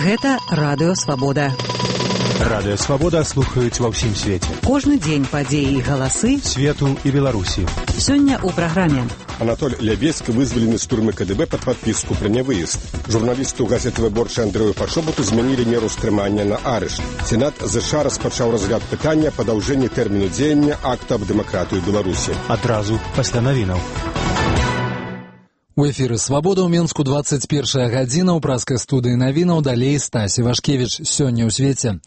Гэта Радыё Свабода. Радыё Свабода слухаюць ва ўсім свеце. Кожны дзень падзеі і галасы свету і Беларусі. Сёння ў праграме. Анатоль Лябецкі вызвалены з турмы КДБ пад падпіску пра нявыезд. Журналісту газеты «Выборча» Андрэю Пашобуту змянілі меру стрымання на арышт. Сенат ЗША распачаў разгляд пытання падаўжэння тэрміну дзеяння акта аб дэмакратыі Беларусі. Адразу пасля навінаў. У эфіры «Свабода» ў Менску 21 гадзіна, ў праскай студыі навінаў, далей Стасі Вашкевіч. Сёння ў свеце.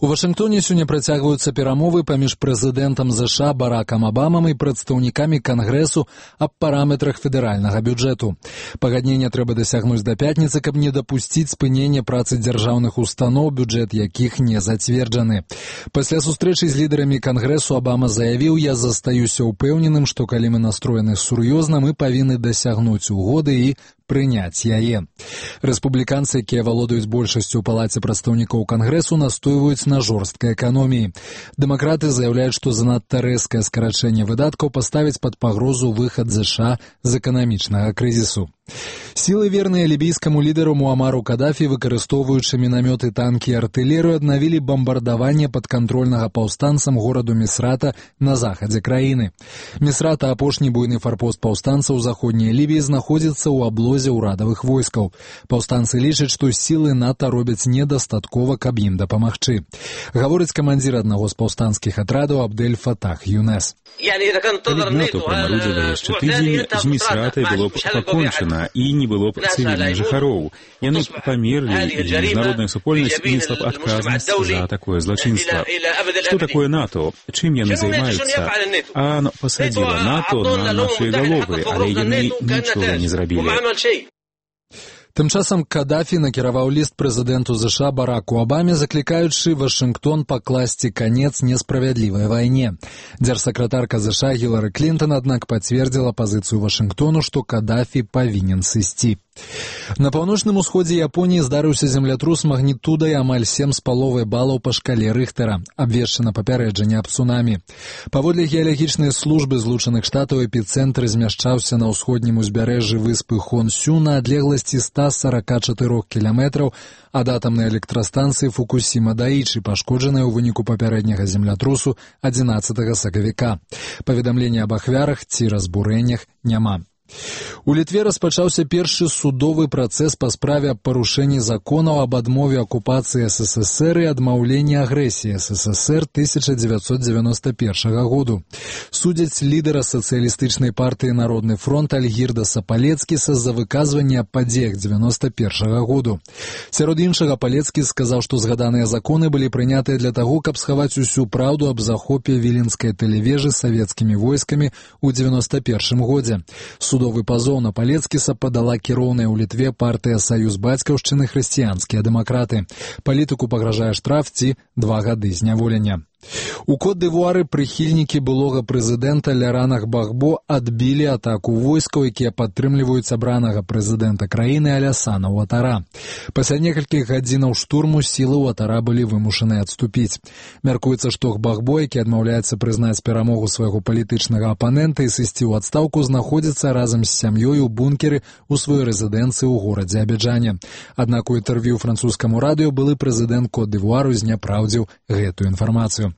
У Вашынгтоне сёння працягваюцца перамовы паміж прэзідэнтам ЗША Баракам Абамам і прадстаўнікамі Кангрэсу аб параметрах федэральнага бюджэту. Пагаднення трэба дасягнуць да пятніцы, каб не дапусціць спынення працы дзяржаўных устаноў, бюджэт якіх не зацверджаны. Пасля сустрэчы з лідарамі Кангрэсу Абама заявіў: «Я застаюся ўпэўненым, што калі мы настроены сур'ёзна, мы павінны дасягнуць угоды і прыняць яе». Рэспубліканцы, якія валодаюць большасцю ў палаце прадстаўнікоў Кангрэсу, настойваюць на жорсткай эканоміі. Дэмакраты заяўляюць, што занадта рэзкае скарачэнне выдаткаў паставіць пад пагрозу выхад ЗША з эканамічнага крызісу. Сілы, верныя лібійскаму лідару Муамару Кадафі, выкарыстоўваючы мінамёты, танкі і артылерыю, аднавілі бамбардаванне падкантрольнага паўстанцам гораду Місрата на захадзе краіны. Місрата, апошні буйны фарпост паўстанцаў у заходняй Лібіі, знаходзіцца ў аблозе ўрадавых войскаў. Паўстанцы лічаць, што сілы НАТО робяць недастаткова, каб ім дапамагчы. Гаворыць камандзір аднаго з паўстанцкіх атрадаў Абдель Фатах Юнес. Калі б НАТО прамарудзіла яшчэ тыдзень, з Місратай было б пакончана і не было б цывільных жыхароў. Яны б памерлі, і міжнародная супольнасць несла б адказнасць за такое злачынства. Што такое НАТО? Чым яны займаюцца? АН пасадзіла НАТО на нашыя галовы, але яны нічога не зрабілі. Тым часам Кадафі накіраваў ліст прэзідэнту ЗША Бараку Абаме, заклікаючы Вашынгтон пакласці канец несправядлівай вайне. Дзяржсакратарка ЗША Гілары Клінтон, аднак, пацвердзіла пазіцыю Вашынгтону, што Кадафі павінен сысці. На паўночным усходзе Японіі здарыўся землятрус магнітудай амаль 7,5 балаў па шкале Рыхтара. Абвешчана папярэджанне аб цунамі. Паводле геалагічнай службы Злучаных Штатаў, эпіцэнтр змяшчаўся на ўсходнім узбярэжжы выспы Хонсю на адлегласці 144 кіламетраў ад атамнай электрастанцыі Фукусіма-Даічы, пашкоджанай у выніку папярэдняга землятрусу 11 сакавіка. Паведамлення аб ахвярах ці разбурэннях няма. У Літве распачаўся першы судовы працэс па справе аб парушэнні законаў аб адмове акупацыі СССР і адмаўленні агрэсіі СССР 1991 году. Судзяць лідара сацыялістычнай партыі «Народны фронт» Альгірдаса Палецкіса за выказванне аб падзеях 91 году. Сярод іншага, Палецкі сказаў, што згаданыя законы былі прынятыя для таго, каб схаваць усю праўду аб захопе віленскай тэлевежы савецкімі войскамі ў 91 годзе. Судовы пазоў на Палецкіса падала кіроўная ў Літве партыя «Саюз бацькаўшчыны хрысціянскія дэмакраты». Палітыку пагражае штраф ці 2 гады зняволення. У Кот-д'Івуары прыхільнікі былога прэзідэнта Лярана Гбагбо адбілі атаку войскаў, якія падтрымліваюць абранага прэзідэнта краіны Алясана Уатара. Пасля некалькіх гадзінаў штурму сілы Уатара былі вымушаны адступіць. Мяркуецца, што Гбагбо, які адмаўляецца прызнаць перамогу свайго палітычнага апанента і сысці ў адстаўку, знаходзіцца разам з сям'ёй у бункеры ў сваёй рэзідэнцыі ў горадзе Абіджане. Аднак у інтэрв'ю французскаму радыё былы прэзідэнт Кот-д'Івуару зняпраўдзіў гэтую інфармацыю.